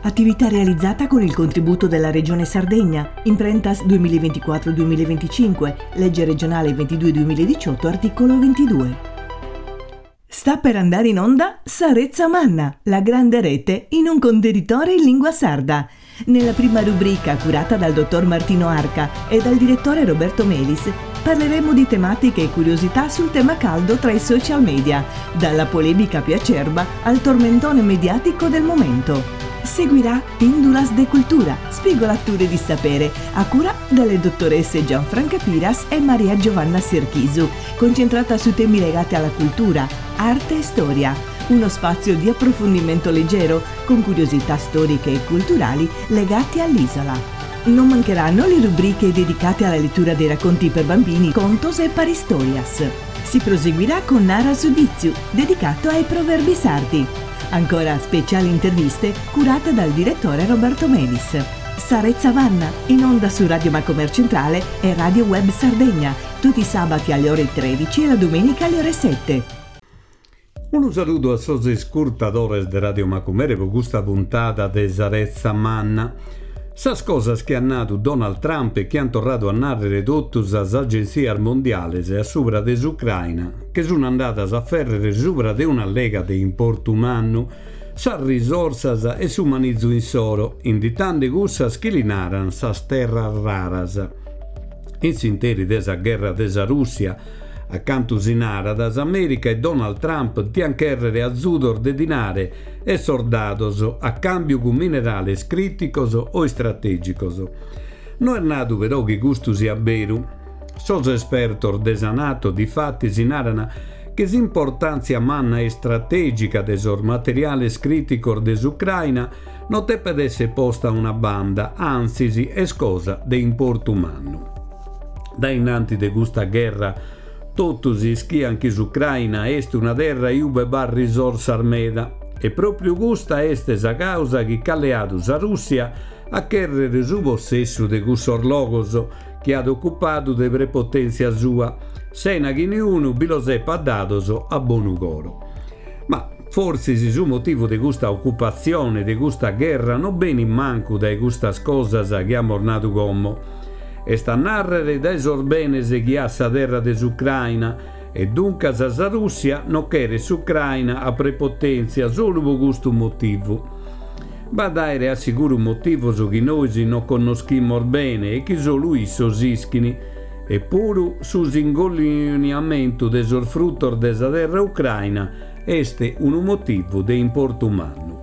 Attività realizzata con il contributo della Regione Sardegna, Imprentas 2024-2025, legge regionale 22-2018, articolo 22. Sta per andare in onda Sa Retza Manna, la grande rete in un contenitore in lingua sarda. Nella prima rubrica, curata dal dottor Martino Arca e dal direttore Roberto Melis, parleremo di tematiche e curiosità sul tema caldo tra i social media, dalla polemica più acerba al tormentone mediatico del momento. Seguirà Pindulas de Cultura, spigolature di sapere, a cura delle dottoresse Gianfranca Piras e Maria Giovanna Serchisu, concentrata su temi legati alla cultura, arte e storia. Uno spazio di approfondimento leggero, con curiosità storiche e culturali legate all'isola. Non mancheranno le rubriche dedicate alla lettura dei racconti per bambini, contos e paristorias. Si proseguirà con Nara su Ditzu, dedicato ai proverbi sardi. Ancora speciali interviste curate dal direttore Roberto Melis. Sa Retza Manna, in onda su Radio Macomer Centrale e Radio Web Sardegna, tutti i sabati alle ore 13 e la domenica alle ore 7. Unu saludu a sos iscurtadores de Radio Macumere pro custa puntada de Sa Retza Manna. Sas cosas chi at nadu Donald Trump e chi ant torradu a nàrrere totu sas agentzias mondiales a subra de s'Ucraina che sun andadas a fèrrere subra de un'allega de importu mannu, sas risorsas e su manizu insoro, inditande cussas chi li naran sas terras raras. In s'interi de sa gherra de sa Rùssia, A cantu si narat, s'Amèrica e Donald Trump diant chèrrere azudos de dinare e sordados a càmbiu cun minerales crìticos o istratègicos. No est nadu però chi custu siat beru. Sos espertos de sa Nato difatis naran chi s'importàntzia manna e istratègica de sos materiales crìticos de s'Ucraina no depet èssere posta a una banda, antzis est cosa de importu mannu. Dae innanti de custa gherra totus ischiant chi s'Ucraina est una terra iube b'at risorsas meda e pròpriu custa est sa causa chi ch'at leadu sa Rùssia a chèrrere su possessu de cussos logos chi at ocupadu de prepotèntzia sua, sena chi niunu bi los epat dados a bonu coro. Ma fortzis su motivu de custa ocupatzione, de custa gherra, no benit mancu dae custas cosas chi amus nadu como. Est a nàrrere dae sos benes chi at sa terra de s'Ucraina, e duncas sa Rùssia no cheret s'Ucraina a prepotèntzia solu pro custu motivu. B'at àere a siguru motivos chi nois no connoschimus bene e chi solu issos ischin. Epuru su s'ingolliniamentu de sos frutos de sa terra ucraina est unu motivu de importu mannu.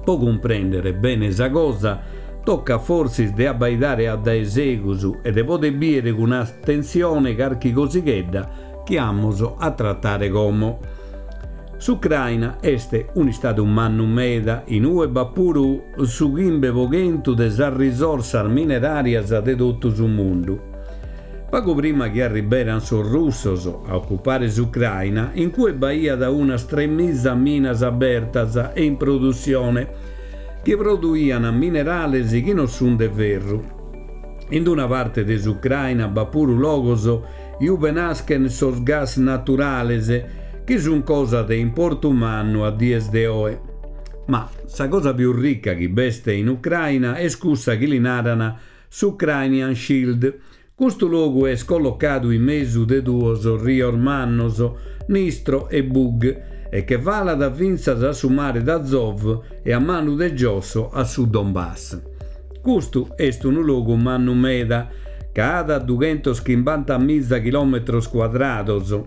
Po cumprèndere bene sa cosa, tocat fortzis de abbaidare a dae segus e de poder bìere cun atentzione carchi cosighedda chi amus a tratare como. S'Ucraina est un'istadu mannu meda, in ue b'at puru su chimbe po chentu de sas risorsas mineràrias de totu su mundu. Pagu prima chi arriberant sos russos a ocupare s'Ucraina, in cue b'aiat unas tremiza minas abertas e in produssione, chi produiant minerales chi non sunt de ferru. In una parte de s'Ucraina b'at puru logos iube naschen sos gas naturales, chi sun cosa de importu mannu a dies de oe. Ma sa cosa pius ricca chi b'est in Ucraina est cussa chi li naran s'Ucrainian Shield. Custu logu est collocadu in mesu de duos rios mannos, Nistro e Bug, e che falat fintzas a su mare d'Azov e a manu de giosso a su Donbass. Custu est unu logu mannu meda, ca at dughentoschimbantamiza chilòmetros cuadrados.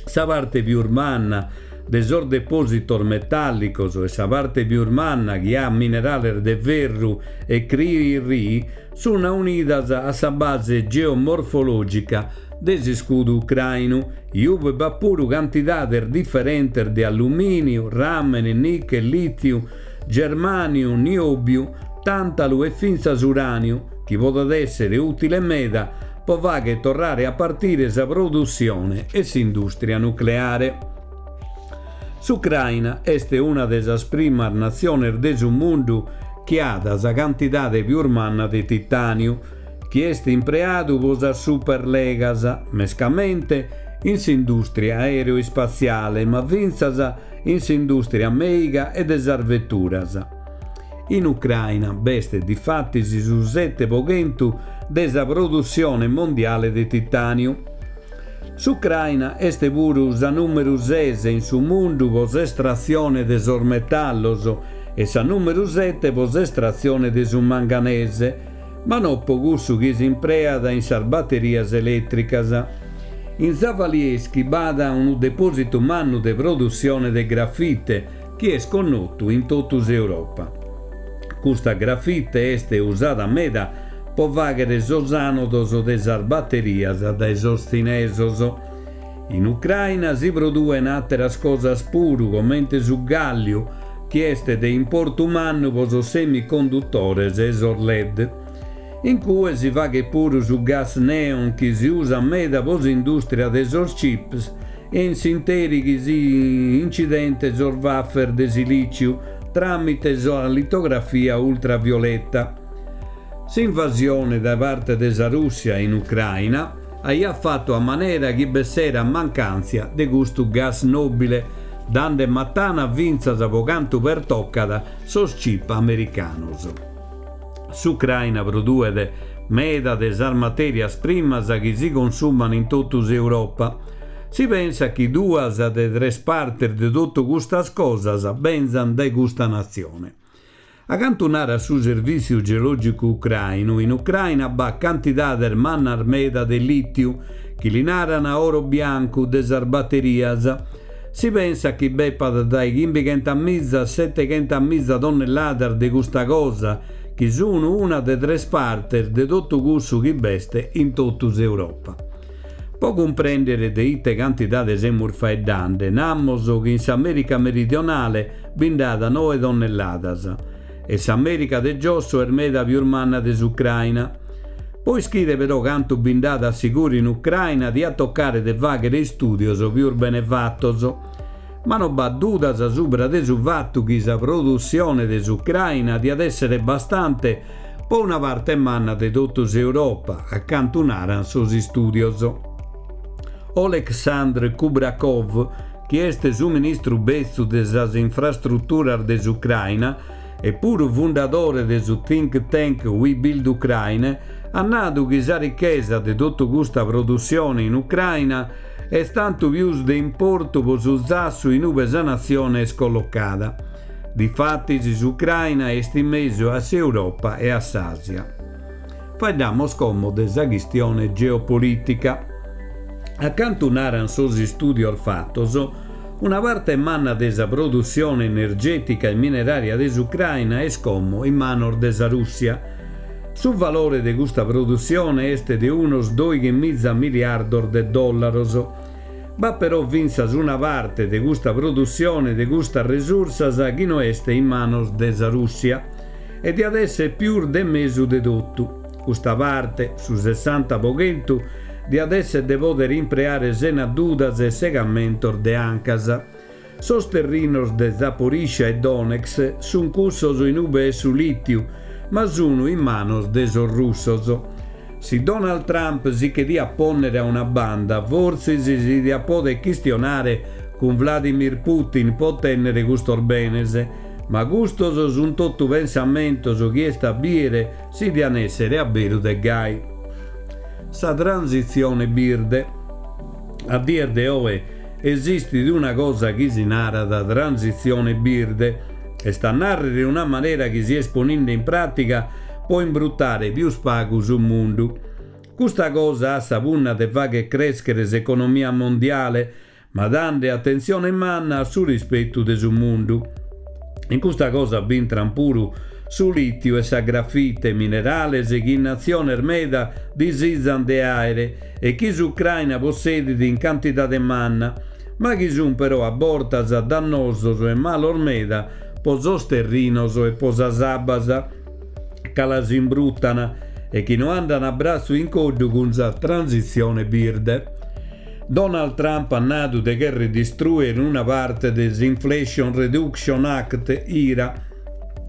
Sa parte pius manna de sos depòsitos metàllicos e sa parte pius manna chi at minerales de ferru e cri-ri sun aunidas a sa base geomorfològica de s'iscudu ucrainu, iube b'at puru cantidades diferentes de allumìniu, ràmene, nichel, lìthiu, germàniu, niòbiu, tàntalu e fintzas uràniu, chi podet èssere ùtile meda pro fàghere torrare a partire sa produssione e s'indùstria nucleare. S'Ucraina est una de sas primas natziones de su mundu chi at sa cantidade pius manna de titàniu, chi est impreadu pro sas superlegas, mescamente in s'indùstria aeroispatziale, ma fintzas in s'indùstria mèiga e de sas veturas. In Ucraina b'est difatis su 7% de sa produssione mondiale de titàniu. S'Ucraina est puru sa nùmeru ses in su mundu pro s'estratzione de sos metallos e sa nùmeru sete pro s'estratzione de su manganese, ma no pro cussu chi s'impreat in sas baterias elètricas. In Zavaliesky b'at unu depòsitu mannu de produssione de grafite chi est connotu in totu s'Europa. Custa grafite est usada meda pro fàghere sos ànodos de sas baterias dae sos tzinesos. In Ucraina si produen àteras cosas puru comente su gàlliu, chi est de importu mannu pro sos semicondutores e sos led. In cue si faghet puru su gas neon chi si usat meda pro s'indùstria de sos chips e in s'interi chi si incident sos wafer de silìciu tràmite sa litografia ultravioleta. S'invasione dae parte de sa Rùssia in Ucraina aiat fatu a manera chi b'esserat mancàntzia de custu gas nòbile, dande matana fintzas pro cantu pertocat sos chip americanos. S'Ucraina produet meda de sas matèrias primas chi si consuman in totu s'Europa. Si pensat chi duas de tres partes de totu custas cosas benzant dae custa natzione. A cantu narat su Servìtziu Geològicu Ucrainu, in Ucraina b'at cantidades mannas meda de lìtiu, chi li naran oro biancu de sas baterias. Si pensat chi b'epat dae chimbighentamiza a seteghentamiza tonnelladas de custa cosa, chi sun una de tres partes de totu cussu chi b'est in totu s'Europa. Po cumprèndere de ite cantidade semus faeddande, namos chi in s'Amèrica meridionale bi nd'at noe tonnelladas e s'Amèrica de giosso est meda pius manna de s'Ucraina. Po ischire però cantu bi nd'at a siguru in Ucraina diat tocare de fàghere istùdios pius bene fatos. Ma no b'at dudas subra de su fatu chi sa produssione de s'Ucraina diat èssere bastante po una parte manna de totu s'Europa, a cantu naran sos istùdios. Oleksandr Kubrakov, chi est su ministru betzu de sas infrastruturas de s'Ucraina e puru fundadore de su think tank We Build Ukraine, at nadu chi sa richesa de totu custa produssione in Ucraina est tantu pius de importu po su zassu in ube sa natzione est collocada. Difatis s'Ucraina est in mesu a s'Europa e a s'Àsia. Faeddamos como de sa chistione geopolìtica. A cantu naran sos istùdios fatos, una parte manna de sa produssione energètica e minerària de s'Ucraina est como in manos de sa Rùssia. Su valore de custa produssione est de unos doighemiza miliardos de dòllaros. B'at però fintzas una parte de custa produssione de custas resursas chi no est in manos de sa Rùssia e diat èssere pius de mesu de totu. Custa parte, su sessanta po chentu, diat èssere de pòdere impreare sena dudas e segamentos de ancas. Sos terrinos de Zaporizhzhia e Donetsk sunt cussos in ube est su lìtiu, ma sunu in manos de sos russos. Si Donald Trump si che diat pònnere a una banda, fortzis si diat pòdere chistionare cun Vladimir Putin po otènnere custos benes, ma custos sunt totu pensamentos chi est a bìere si dian èssere a beru de gai. Sa transitzione birde. A dies de oe Esistit una cosa chi si narat transitzione birde, est a nàrrere una manera chi si est poninde in pràtiga po imbrutare pius pagu su mundu. Custa cosa at sa punna de fagher crèschere s'economia mondiale, ma dande atentzione manna a su rispetu de su mundu. In custa cosa b'intran puru su lìtiu e sa grafite, minerales chi natziones meda disizan de àere e chi s'Ucraina possedit in cantidade manna, ma chi sun però a bortas dannosos e malos meda po sos terrinos e po sas abbas, ca las imbrutan e chi no andan a bratzu in coddu cun sa transitzione birde. Donald Trump at nadu de cherrer distrùere una parte de s'Inflation Reduction Act, IRA,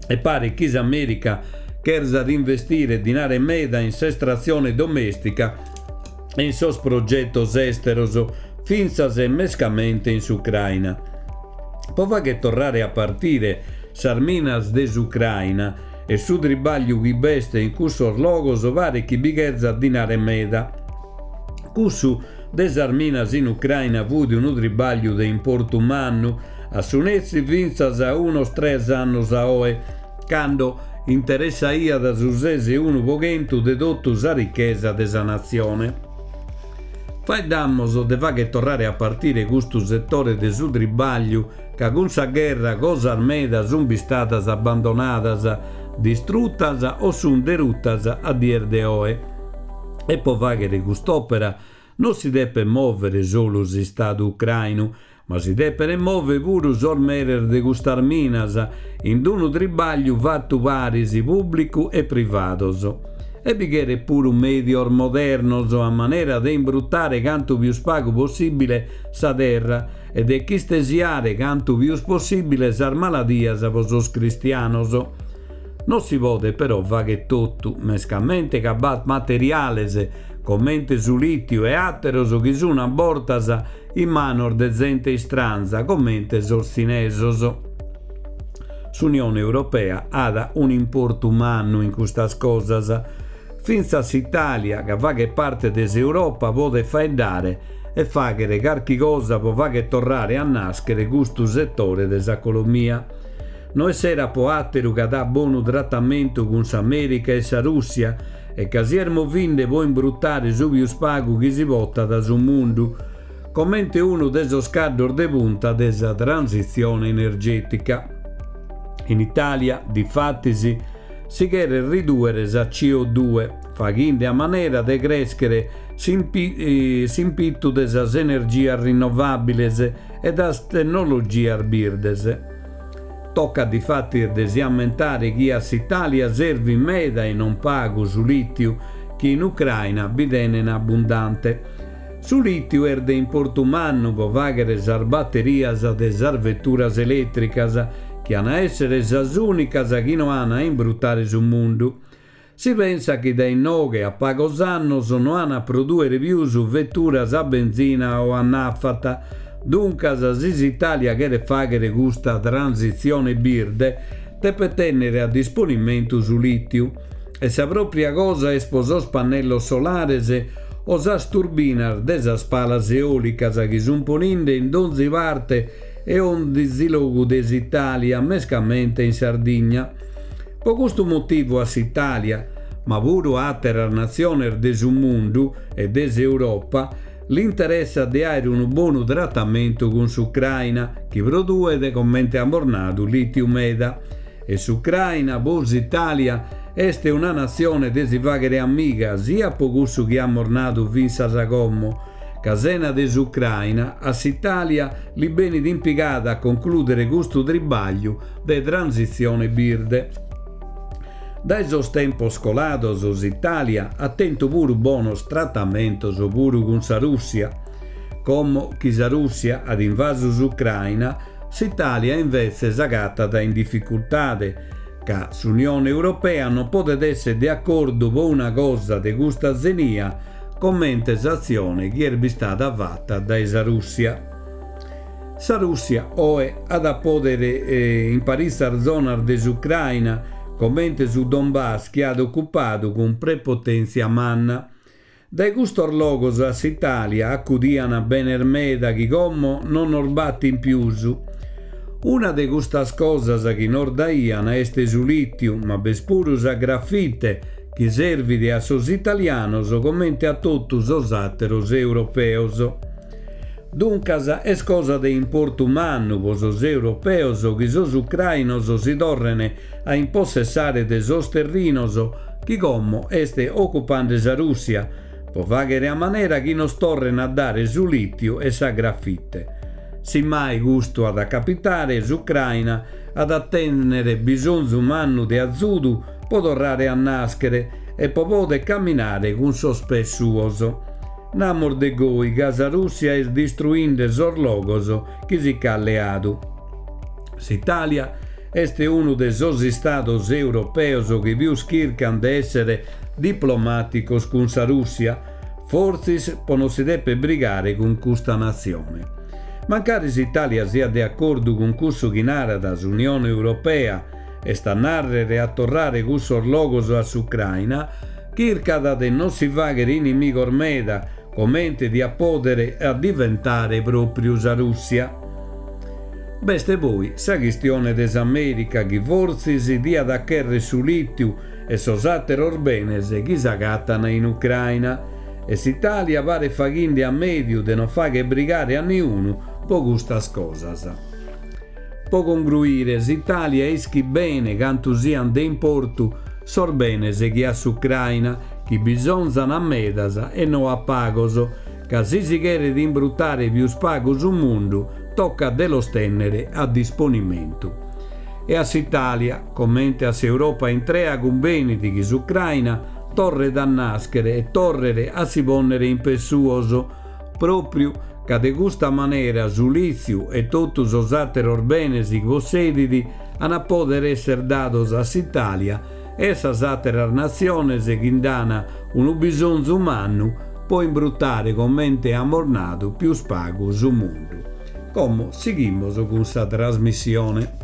e paret chi s'Amèrica cherzat investire dinare meda in s'estratzione domèstica e in sos progetos èsteros, fintzas e mescamente in s'Ucraina. Po fagher torrare a partire. Sas minas de s'Ucraina e su tribagliu chi b'est in cussos logos paret chi bi cherzat dinare meda. Cussu de sas minas in Ucraina fut unu tribagliu de importu mannu, a su nessi fintzas a unos tres annos a oe, cando interessaiat su ses e unu po chentu de totu sa richesa de sa natzione. Faeddamos de fagher torrare a partire custu setore de su tribagliu ca cun sa gherra cosas meda sunt bistadas abbandonadas, distrutas o sunt derutas a dies de oe. E po fàghere cust'òpera non si depet mòvere solu s'Istadu ucrainu, ma si depent mòvere puru sos meres de custas minas, in unu tribagliu fatu paris pùblicu e privados. E bi cheret puru mèdios modernos a manera de imbrutare cantu pius pagu possìbile sa terra e de ch'istesiare cantu pius possìbile sas maladias pro sos cristianos. Non si podet però fagher totu, mescamente ca b'at materiales, comente su lìtiu e àteros chi sun a bortas in manos de zente istranza, comente sos tzinesos. S'Unione Europea at un'importu mannu in custas cosas. Fintzas s'Itàlia, ca faghet parte de s'Europa, podet faeddare e fàghere carchi cosa pro fagher torrare a nàschere custu setore de s'economia. No esserat po àteru ca dat bonu tratamentu cun s'Amèrica e sa Rùssia e ca si est movinde po imbrutare su pius pagu chi si potat su mundu, comente unu de sos caddos de punta de sa transitzione energètica. In Itàlia, difatis, si cheret ridùere sa CO2, faghinde a manera de crèschere s'impitu de sas energias rinnovàbiles e das tennologias birdes. Tocat difatis de si ammentare chi a s'Itàlia servit meda e non pagu su lìtiu chi in Ucraina bi tenen abbundante. Su lìtiu est de importu mannu pro fàghere sas baterias de sas veturas elètricas, chi an a èssere sas ùnicas chi no an a imbrutare su mundu. Si pensat chi dae inoghe a pagos annos no an a prodùere pius veturas a benzina o a nafta. Duncas, si s'Itàlia cheret fàghere custa transitzione birde, depet tènnere a disponimentu su lìtiu. E sa pròpria cosa est pro sos pannellos solares o sas turbinas de sas palas eòlicas chi sunt poninde in donzi parte e onzi logu de s'Itàlia, mescamente in Sardigna. Pro custu motivu a s'Itàlia, ma puru a àteras natziones de su mundu e de s'Europa, l'interessat de àere unu bonu tratamentu cun s'Ucraina, chi produet, comente amus nadu, lìtiu meda. E s'Ucraina, pro s'Itàlia, est una natzione de si fàghere amiga, siat pro cussu chi amus nadu fintzas a como, ca sena de s'Ucraina a s'Itàlia li benit in pigada a conclùdere custu tribagliu de transitzione birde. Dae sos tempos colados s'Itàlia at tentu puru bonos tratamentos puru cun sa Rùssia. Como chi sa Rùssia at invasu s'Ucraina, s'Itàlia invetze s'agatat in dificultade, ca s'Unione Europea non podet èssere de acordu pro una cosa de custa zenia comente s'atzione chi est bistada fata dae sa Rùssia. Sa Rùssia oe at a pòdere in paritzas zonas de s'Ucraina, comente su Donbass chi at ocupadu cun prepotèntzia manna. Dae custos logos a s'Itàlia acudian benes meda chi como non nos batin pius. Una de custas cosas chi nos daian est su lìtiu, ma b'est puru sa grafite chi servit a sos italianos comente a totu sos àteros europeos. Duncas est cosa de importu mannu pro sos europeos chi sos ucrainos si torren a impossessare de sos terrinos chi como est ocupande sa Rùssia, pro fàghere a manera chi nos torren a dare su lìtiu e sa grafite. Si mai custu at a capitare, s'Ucraina at a tènnere bisonzu mannu de azudu pro torrare a nàschere e pro poder caminare cun sos pes suos. Namos de goi ca sa Rùssia est distruinde sos logos chi si ch'at leadu. S'Itàlia est unu de sos istados europeos chi pius chircan de èssere diplomàticos cun sa Rùssia, fortzis pro non si dèpere brigare cun custa natzione. Mancari s'Itàlia siat de acordu cun cussu chi narat s'Unione Europea, est a nàrrere a torrare cussos logos a s'Ucraina, chircat de non si fàghere inimigos meda, comente diat pòdere a diventare pròpriu sa Rùssia. B'est poi sa chistione de s'Amèrica chi fortzis diat a chèrrere su lìtiu e sos àteros benes chi s'agatan in Ucraina. E s'Itàlia paret faghende a mèdiu de non fàghere brigare a niunu po custas cosas. Po congruire, s'Itàlia ischit bene cantu siant de importu sos benes chi at s'Ucraina, chi bisonzan a medas e no a pagos, ca si si cheret imbrutare pius pagu su mundu, tocat de los tènnere a disponimentu. E a s'Itàlia, comente a s'Europa intrea cumbenit chi s'Ucraina torret a nàschere e torret a si pònnere in pes suos, pròpriu ca de custa manera su lìtziu e totu sos àteros benes chi possedit an a pòdere èssere dados a s'Itàlia e a sas àteras natziones chi nd'an unu bisonzu mannu po imbrutare comente amus nadu pius pagu su mundu. Como sighimos cun sa trasmissione.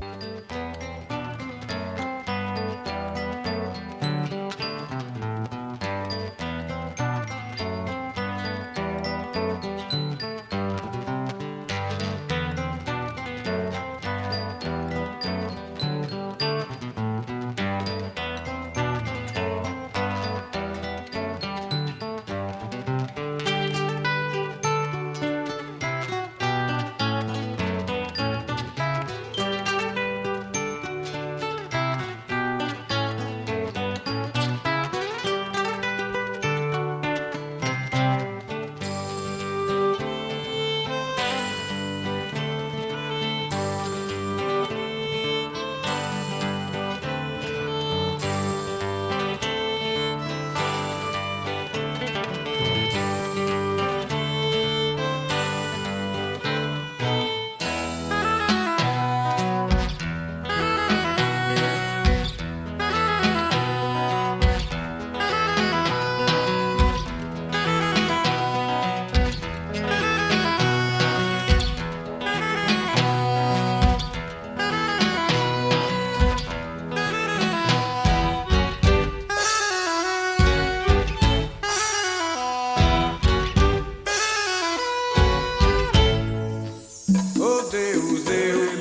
O Deus, Deus,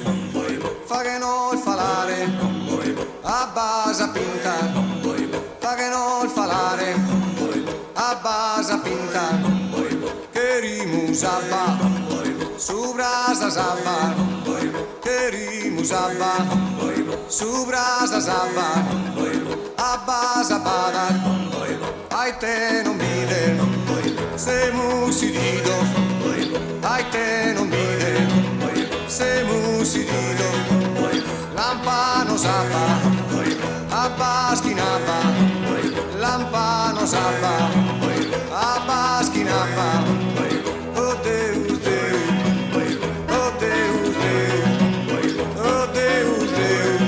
faghe nos falare abba sa pinta, faghe nos falare abba sa pinta, cherimus abba subra sas abbas, cherimus abba subra sas abbas, abba s'abbada, a ite non bides, semus sididos, a ite non bides, semus sididos, lampanos abba, abbas chin abba, lampanos abba, abbas chin abba, oh Deus, Deus, oh Deus, Deus, oh Deus, Deus.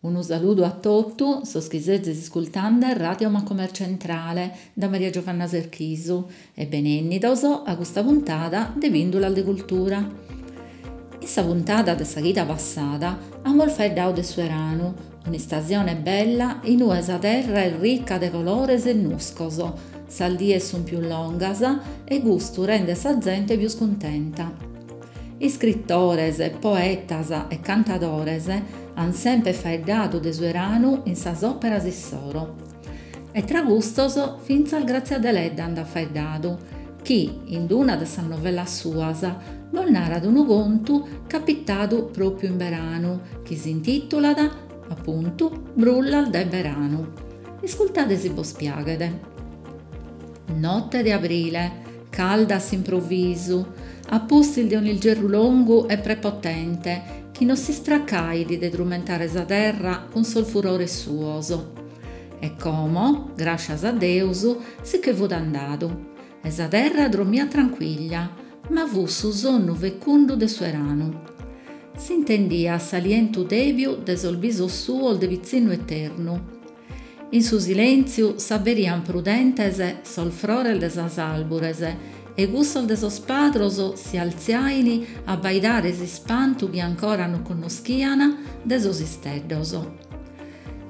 Unu saludu a totu sos chi sezis iscultande Radio Macomer Centrale da Maria Giovanna Serchisu e benennidos a custa puntada de Pindulas de Cultura. In sa puntada de sa chida passada amus faeddadu de su 'eranu, un'istasione bella in ue sa terra est rica de colores e nuscos, sas dies sunt pius longas e custu rendet sa zente pius cuntenta. Iscritores, poetas e cantadores an semper faeddadu de su 'eranu in sas òperas issoro. E tra custos fintzas Grazia Deledda nd'at faeddadu, chi, in una de sas novellas suas, nos narat unu contu capitadu pròpiu in beranu, chi s'intìtulat, apuntu, Brullas de beranu. Iscultade si bos piaghet. Note de abrile, calda a s'improvisu, a pustis de un'ilgerru longu e prepotente chi no s'istracait de trumentare sa terra cun sos furores suos. E como, gràscias a Deus, si che fut andadu e sa terra drommiat trancuiglia, ma fut su sonnu fecundu de su 'eranu. S'intendiat s'alientu tèbiu de sos bisos suos de pitzinnu eternu. In su silèntziu s'aberiant prudentes sos frores de sas àrbures e cussos de sos padros si altziain a abbaidare s'ispantu chi ancora non connoschian de sos isteddos.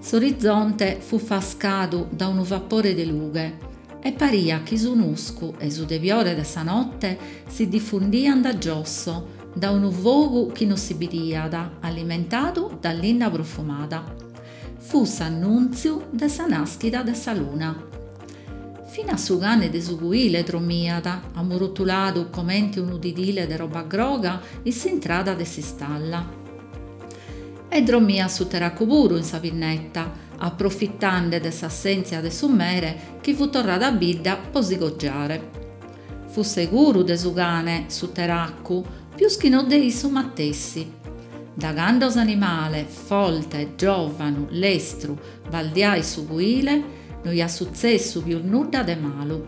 S'orizonte fut fascadu da unu vapore de lughe e pariat chi su nuscu e su tebiore de sa note si difundiant a giosso da unu fogu chi non si bidiat, alimentadu da linna profumada. Fut s'annùntziu de sa nàschida de sa luna. Finas su cane de su cuile dromiat, amurutuladu comente unu didile de roba groga in s'intrada de s'istalla. E dromiat su teracu puru in sa pinneta, aprofitande de s'assèntzia de su mere chi fut torradu a bidda po si cogiare. Fut seguru de su cane, su teracu, pius chi no de issu matessi. Da cando s'animale, folte, giòvanu, lestru, baldiait su cuile, no iat sutzessu pius nudda de malu.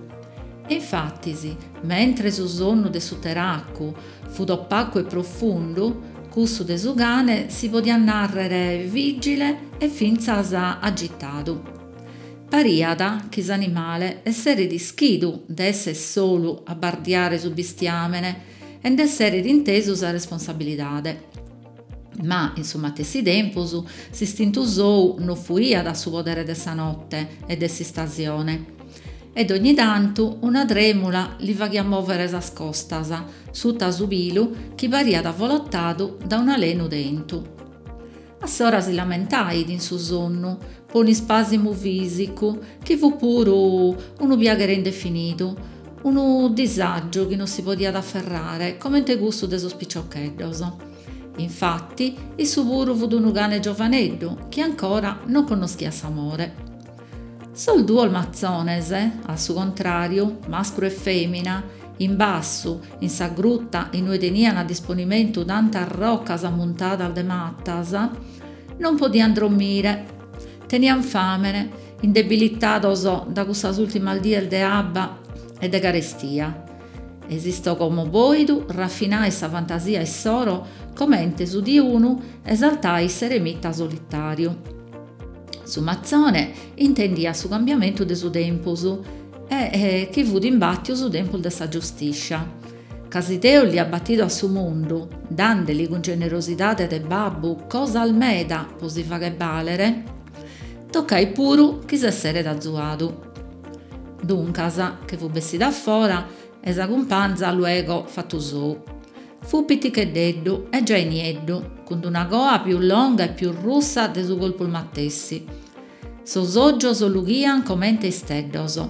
E infatis, mentre su sonnu de su teracu fut opacu e profundu, cussu de su cane si podiat nàrrere vìgile e fintzas agitadu. Pariat chi s'animale esseret ischidu de esser solu a bardiare su bistiàmene e nd'esseret intesu sa responsabilidade. Ma, in su matessi tempus, s'istintu sou no fuiat a su podere de sa note e de s'istasione. E dogni tantu una trèmula li faghiat mòvere sas costas, suta su pilu chi pariat avolotadu da un'alenu tentu. A s'ora si lamentait in su sonnu po un'ispàsimu fìsicu chi fut puru unu piaghere indefinidu, unu disàgiu chi non si podiat aferrare comente cussu de sos piciocheddos. Infati, issu puru fut unu cane giovaneddu chi ancora non connoschiat s'amore. Sos duos matzones, a su contràriu, mascru e fèmina, in bassu, in sa gruta in ue tenian a disponimentu tantas rocas ammuntadas de matas, non podian drommire. Tenian fàmene, indebilitados da cussas ùltimas dies de abba e de carestia. E s'istògomo bòidu rafinait sa fantasia issoro comente su diunu esaltait s'eremita solitàriu. Su matzone intendiat su cambiamentu de su tempus e chi fut imbàtiu su tempus de sa giustiscia. Ca si Deus l'aiat batidu a su mundu, dàndeli cun generosidade de babbu cosas meda po si fagher bàlere, tocait puru chi s'esseret azuadu. Duncas, che fut bessidu a fora e sa cumpanza luego fatu sou. Fut piticheddeddu e giai nieddu, cun d'una coa pius longa e pius russa de su corpus matessi. Sos ògios lughian comente isteddos.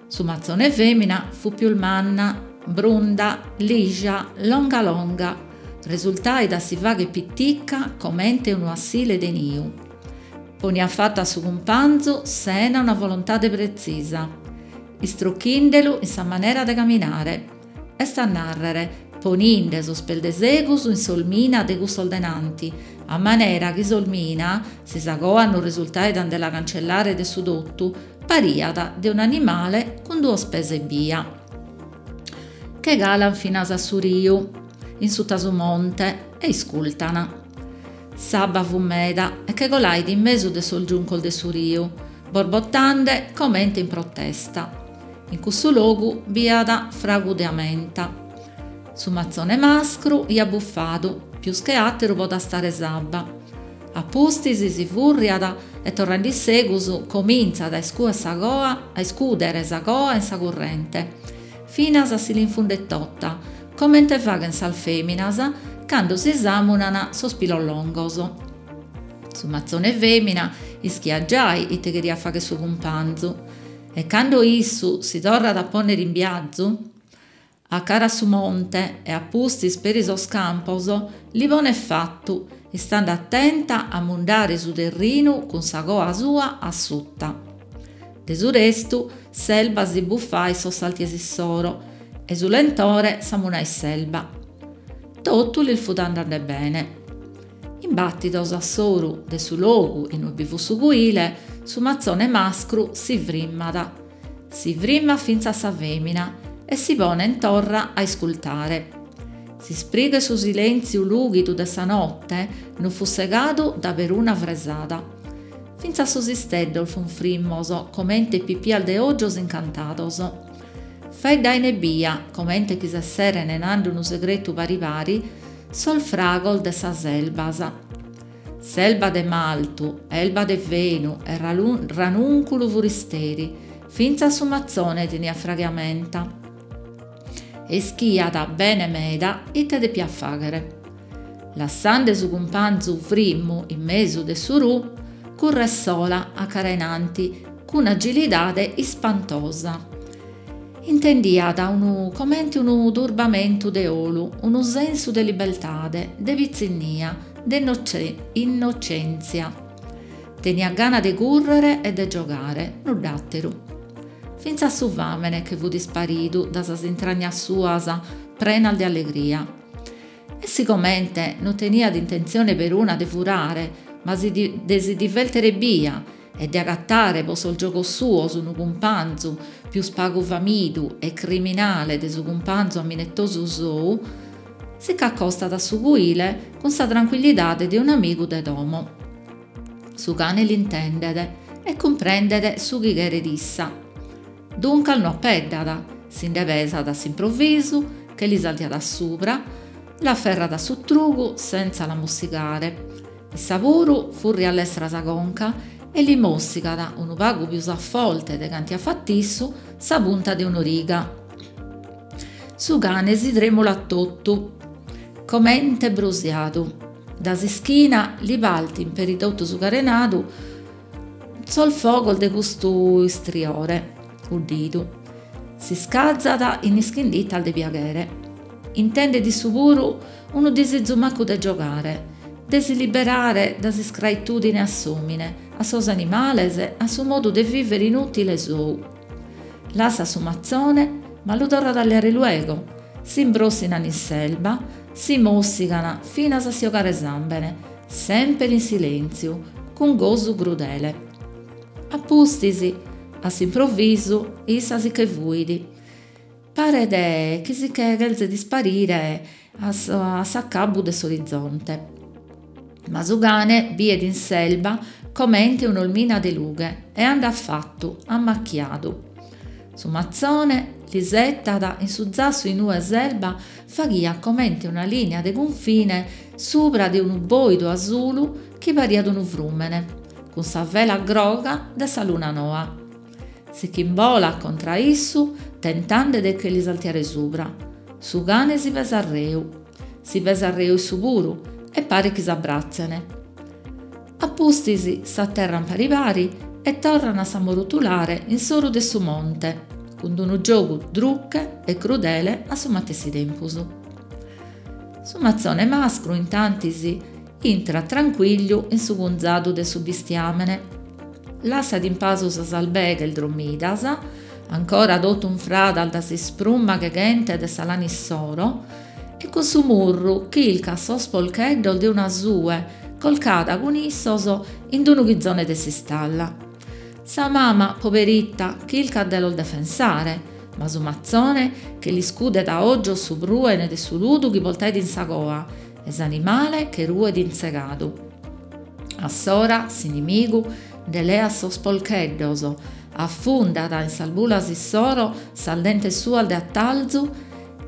Su matzone fèmina fut pius manna, brunda, lija, longa longa, resultait a si fagher pitica comente unu assile de niu. Poniat fatu a su cumpanzu sena una volontade pretzisa, istrochindelu in sa manera de caminare. Est a nàrrere, poninde sos pes de segus in s'olmina de cussos de nanti, a manera chi s'olmina, si sa coa non resultait a nde la cancellare de su totu, pariat de un'animale cun duos pes ebbia. Che calan finas a su riu, in suta su monte, e iscultan. S'abba fut meda e che colait in mesu de sos giuncos de su riu, borbottande comente in protesta. In cussu logu b'iat fragu de amenta. Su matzone mascru iat bufadu, pius che àteru po tastare s'abba. A pustis si furriat e torrende in segus comintzat a iscuer sa coa a iscùdere sa coa in sa currente, finas a si l'infundet tota, comente faghen sas fèminas cando si sàmunan sos pilos longos. Su matzone fèmina ischiat giai ite cheriat fagher su cumpanzu e cando issu si torrat a pònnere in biazu, A cara a su monte e a pustis peri sos campos, li ponet fatu, istande atenta a mundare su terrinu cun sa coa sua assuta. De su restu, s'elba si bufait sos salties issoro e su lentore samunait s'elba. Totu lis fut andande bene. Imbàtidos a s'oru de su logu inue bi fut su cuile, su matzone mascru si frimmat Si frimmat fintzas sa fèmina e si ponen torra a iscultare. S'isprigu 'e su silèntziu lùghidu de sa note no fut segadu da peruna fresada. Fintzas sos isteddos fun frimmos comente pipias de ògios incantados. Faeddain ebbia, comente chi s'esseren nande unu segretu pari pari, sos fragos de sas elbas. S'elba de maltu, elba de fenu e ranùnculu furisteri, fintzas su matzone teniat fragu 'e amenta. E ischiat bene meda ite depiat fàghere. Lassande su cumpanzu frimmu in mesu de su ru, curret sola a cara in anti cun agilidade ispantosa. Intendiat unu comente unu turbamentu de 'olu, unu sensu de libertade, de pitzinnia, de innocèntzia. Teniat gana de cùrrere e de giogare, nudd'àteru. Fintzas su fàmene che fut isparidu da sas intragnas suas prenas de allegria. E sigomente no teniat intentzione peruna de furare, ma de si divèrtere ebbia e de agatare po sos giogos suos unu cumpanzu pius pagu famidu e criminale de su cumpanzu aminetosu sou, si ch'acostat a su cuile cun sa trancuillidade de un'amigu de domo. Su cane l'intendet e cumprendet su chi cheret issa. Duncas no apeddat, si nde pesat a s'improvisu, che li saltiat a subra, l'aferrat a su trugu sentza la mossigare. Issa puru furriat lestra sa conca e li mossigat, unu pagu pius a forte de cantu iat fat'issu, sa punta de un'origa. Su cane si tremulat totu, comente brusiadu. Da s'ischina li partin peri totu su carenadu sos fogos de custu istriore 'uddidu. S'iscazat in ischinditas de piaghere. Intendet issu puru unu disizu macu de giogare, de si liberare da s'iscraitudine a s'omine, a sos animales, a su modu de vivere inutile sou. Lassat su matzone, ma lu torrat a leare luego, s'imbrossinan in s'elba, si mossigan finas a si 'ogare sambene, semper in silentziu, cun gosu crudele. A pustis, a s'improvisu, issa si che fuit. Paret chi si che chelzet isparire a s'acabu de s'orizonte. Ma su cane biet in s'elba comente un'olmina de lughe e andat fatu, ammachiadu. Su matzone l'isetat in su zassu inue s'elba faghiat comente una linea de cunfine subra de unu boidu asulu chi pariat unu frùmene, cun sa vela groga de sa luna noa. Si ch'imbolat contra a issu, tentande de che li saltiare subra. Su cane si pesat reu. Si pesat reu issu puru e paret chi s'abbratzen. A pustis s'aterran pari pari e torran a s'ammorotulare in s'oru de su monte, cun d'unu giogu druche e crudele a su matessi tempus. Su matzone mascru, intantis, intrat trancuigliu in su cunzadu de su bistiamene. Lassat in pasu sas albeghes drommidas, ancora totu unfradas da s'isprumma cheghente de sa lana issoro, e cun su murru chilcat sos polcheddos de una sue colcada cun issos in unu chizone de s'istalla. Sa mama, poberitta, chilcat de los defensare, ma su matzone che l'iscudet a ogios su pruene de su ludu chi portait in sa coa. E s'animale che ruet intzegadu. Assora s'inimigu nde leat sos polcheddos, afundat in sas bulas issoro sas dentes suas de atalzu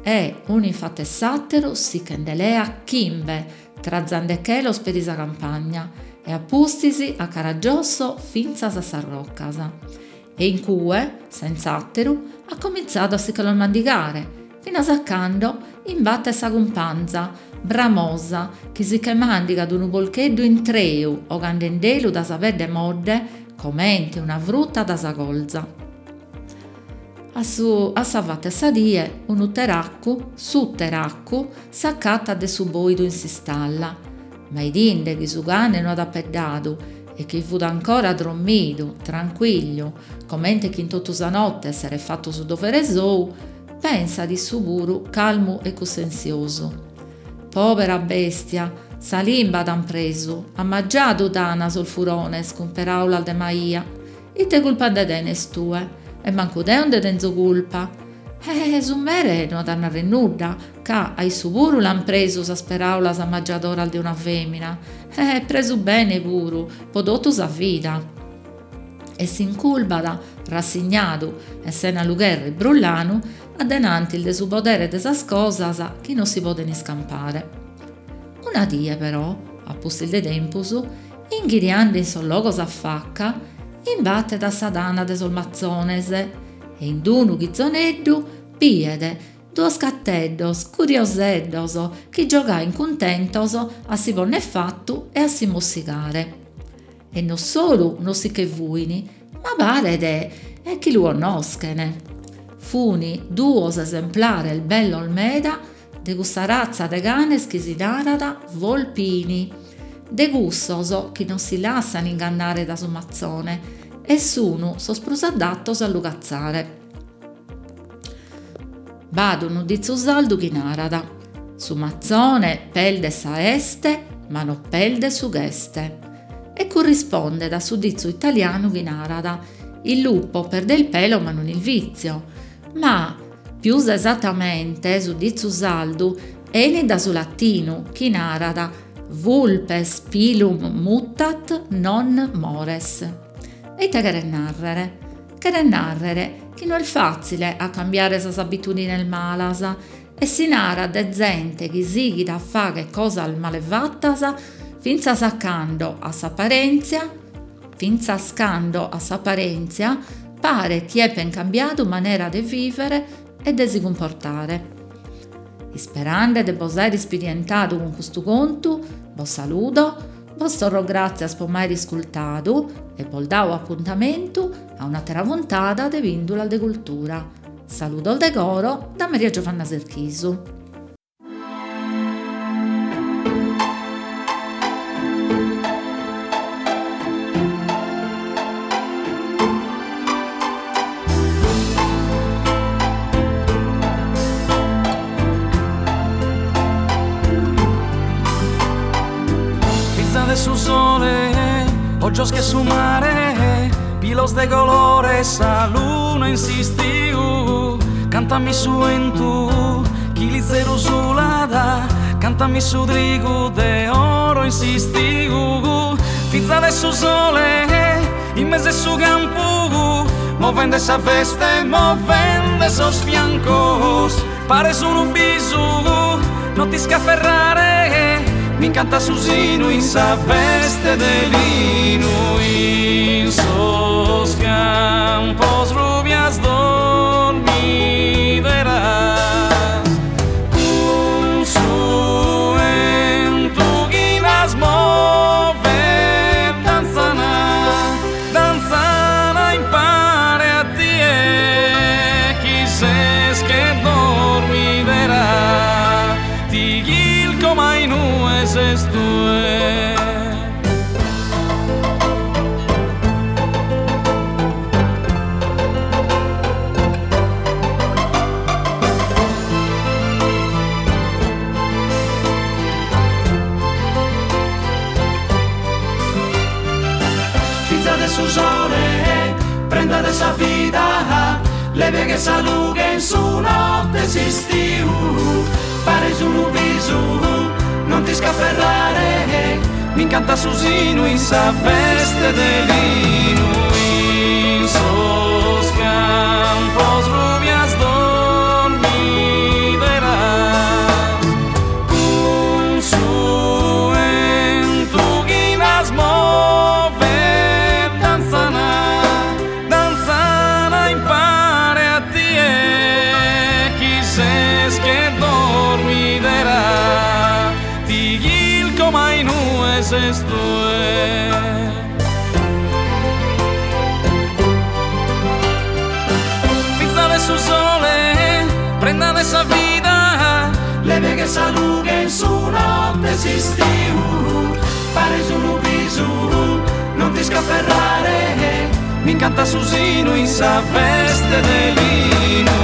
e, unu in fatu 'e s'àteru, si che nde leat chimbe, trazandechelos peri sa campagna e a pustis a cara a giosso fintzas a sas rocas. E in cue, sentz'àteru, at comintzadu a si che los mandigare, finas a cando imbatet sa cumpanza, bramosa, chi si che màndigat unu polcheddu intreu 'ogandendelu da sa pedde modde comente una fruta da sa colza. A su a sa fata 'e sa die, unu teraccu, su teraccu, s'acatat de su bòidu in s'istalla, ma 'idinde chi su cane no at apeddadu e chi fut ancora drommidu, tranquigliu, comente chi in totu sa notte esseret fatu su dovere sou, pensat issu puru calmu e cussensiosu. Pobera bestia, sa limba t'an presu, ammajadu t'an sos furones cun peraulas de maìa. Ite culpa nde tenes tue? E mancu deo nde tenzo culpa. Eh, su mere no at a narrer nudda, ca a issu puru l'an presu sas peraulas ammajadoras de una femina. Eh, presu bene puru, po totu sa vida. E s'inculbat, rassignadu e sena lu cherrer brullanu, a denantis de su podere de sas cosas chi no si poden iscampare. Una die però, a pustis de tempus, inghiriande in sos logos a faca, imbatet a sa tana de sos matzones e in d'unu chizoneddu biet duos cateddos curioseddos chi giogain cuntentos a si ponner fatu e a si mossigare. E no solu no si che fuin, ma paret chi lu connoschen. Funi duos esemplares bellos meda de cussa ratza de canes chi si narat volpini, de cussos chi non si lassan ingannare da su matzone e sun sos prus addatos a lu catzare. B'at unu ditzu sardu chi narat, su matzone peldet sa 'este ma no peldet su ch'est. E currispondet a su ditzu italianu chi narat, il lupo perde il pelo ma non il vizio. Ma, pius esatamente, su ditzu sardu 'enit da su latinu chi narat vulpes pilum mutat non mores. E ite cheret nàrrere? Cheret nàrrere chi no est fàtzile a cambiare sas abitudines malas e si narat de zente chi sighit a fagher cosas male fatas fintzas a cando, a s'aparèntzia, fintzas cando a s'aparèntzia paret chi epen cambiadu manera de vìvere e de si cumportare. Isperande de bos àere ispidientadu cun custu contu, bos saludo, bos torro gràtzias po m'àere iscultadu e bos dao apuntamentu a un'àtera puntada de Pìndulas de Cultura. Saludos de coro da Maria Giovanna Serchisu. Fiza de su sole, ojos che su mare, pilos de colore, sa luna in s'istiu. Cantami su 'entu chi lizeru sulat, cantami su trigu de oro in s'istiu. Fiza de su sole, in mesu 'e su campu, movende sa veste, movende sos fiancos, pares unu bisu, no t'isc'aferrare, m'incantat su sinu in sa veste de linu, in sos campos rubias dormideras, cun su 'entu chi las movet danzana, danzana impare a tie chi ses che dormidera, ti chilco ma inue ses tue. Fiza de su sole, prenda de sa vida, levia che sa lughe in su notte 'e s'istiu, pares unu bisu, non ti. t'iscaferrare, m'incantat su sinu in sa veste de linu. In sos campos rubias dormideras, cun su 'entu chi las movet danzana, Danzana impare a tie chi ses che dormidera ti chilco ma inue ses tue. Fiza de su sole, prenda de sa vida. Levia che sa lughe in su notte 'e s'istiu pares unu bisu non t'iscaferrare M'incantat su sinu in sa veste de linu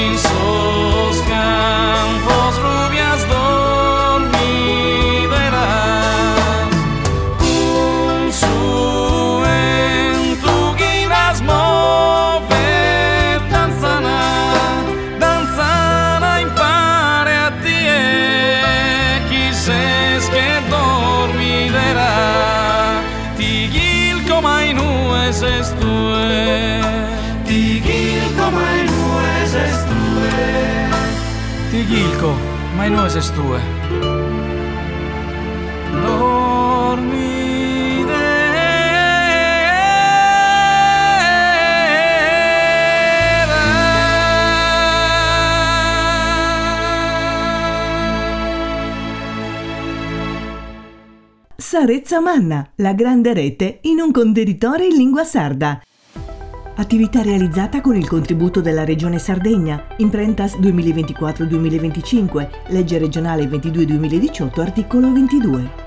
in sos campos rubias dormideras cun su 'entu chi las movet danzana danzana impare a tie chi ses che dormidera Ti chilco ma inue ses tue. Ti chilco ma inue ses tue. Ti chilco ma inue ses tue. Dormidera. Sa Retza Manna, la grande rete in un contenitore in lingua sarda. Attività realizzata con il contributo della Regione Sardegna, Imprentas 2024-2025, legge regionale 22-2018, articolo 22.